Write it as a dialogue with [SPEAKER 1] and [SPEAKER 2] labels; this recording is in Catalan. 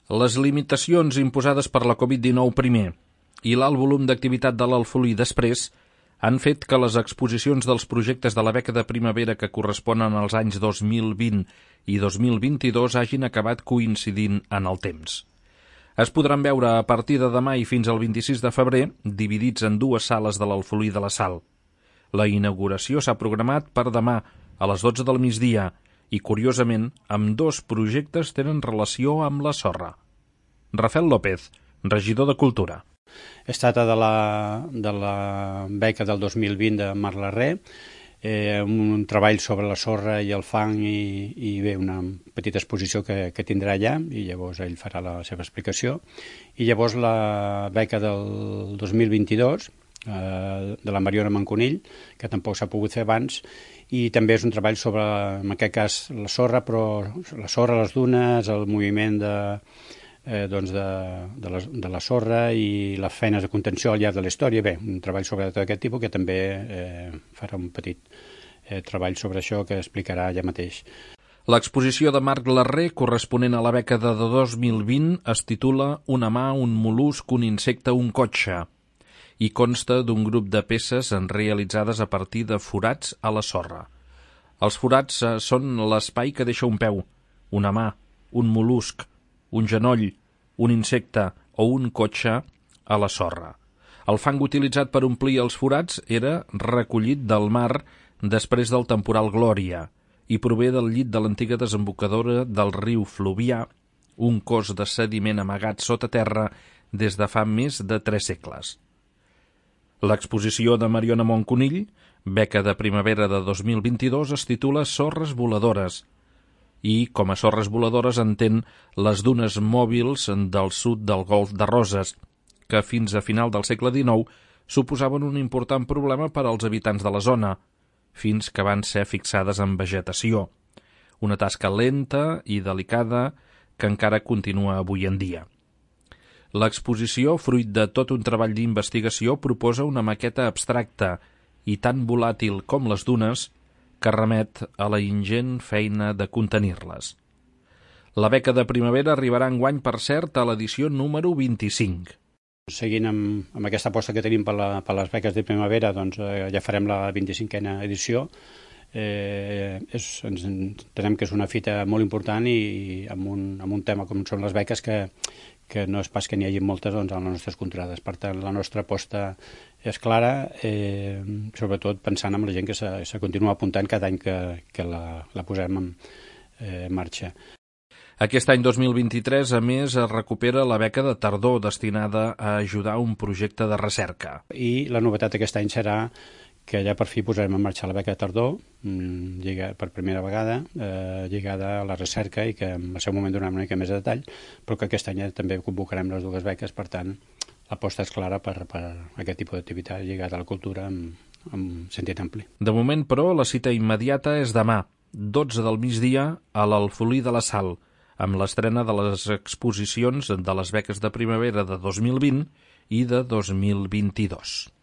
[SPEAKER 1] Les limitacions imposades per la Covid-19 primer i l'alt volum d'activitat de l'Alfolí després han fet que les exposicions dels projectes de la beca de primavera que corresponen als anys 2020 i 2022 hagin acabat coincidint en el temps. Es podran veure a partir de demà i fins al 26 de febrer, dividits en dues sales de l'Alfolí de la Sal. La inauguració s'ha programat per demà a les 12 del migdia i, curiosament, ambdós projectes tenen relació amb la sorra. Rafael López, regidor de Cultura.
[SPEAKER 2] Es tracta de la beca del 2020 de Marc Larré, un treball sobre la sorra i el fang i bé, una petita exposició que tindrà allà i llavors ell farà la seva explicació. I llavors la beca del 2022 de la Mariona Manconill, que tampoc s'ha pogut fer abans, i també és un treball sobre, en aquest cas, la sorra, però la sorra, les dunes, el moviment de la sorra i les feines de contenció al llarg de la història. Bé, un treball sobre tot aquest tipus que també farà un petit treball sobre això que explicarà allà mateix.
[SPEAKER 1] L'exposició de Marc Larré, corresponent a la beca de 2020, es titula Una mà, un mol·lusc, un insecte, un cotxe, i consta d'un grup de peces realitzades a partir de forats a la sorra. Els forats són l'espai que deixa un peu, una mà, un mol·lusc, un genoll, un insecte o un cotxe a la sorra. El fang utilitzat per omplir els forats era recollit del mar després del temporal Glòria i prové del llit de l'antiga desembocadora del riu Fluvià, un cos de sediment amagat sota terra des de fa més de 3 segles. L'exposició de Mariona Manconill, beca de primavera de 2022, es titula Sorres voladores i, com a sorres voladores, entén les dunes mòbils del sud del Golf de Roses, que fins a final del segle XIX suposaven un important problema per als habitants de la zona, fins que van ser fixades en vegetació. Una tasca lenta i delicada que encara continua avui en dia. L'exposició, fruit de tot un treball d'investigació, proposa una maqueta abstracta i tan volàtil com les dunes que remet a la ingent feina de contenir-les. La beca de primavera arribarà enguany, per cert, a l'edició número 25.
[SPEAKER 2] Seguint amb aquesta aposta que tenim per les beques de primavera, doncs ja farem la 25a edició. Entenem que és una fita molt important i amb un tema com són les beques que no és pas que n'hi hagi moltes a les nostres contrades. Per tant, la nostra aposta és clara, sobretot pensant en la gent que se continua apuntant cada any que la posem en marxa.
[SPEAKER 1] Aquest any 2023, a més, es recupera la beca de tardor destinada a ajudar un projecte de recerca.
[SPEAKER 2] I la novetat aquest any serà que ja per fi posarem en marxa la beca de tardor, per primera vegada, lligada a la recerca i que en el seu moment donarem una mica més de detall, però que aquest any també convocarem les dues beques, per tant, l'aposta és clara per aquest tipus d'activitat lligada a la cultura en sentit ampli.
[SPEAKER 1] De moment, però, la cita immediata és demà, 12 del migdia, a l'Alfolí de la Sal, amb l'estrena de les exposicions de les beques de primavera de 2020 i de 2022.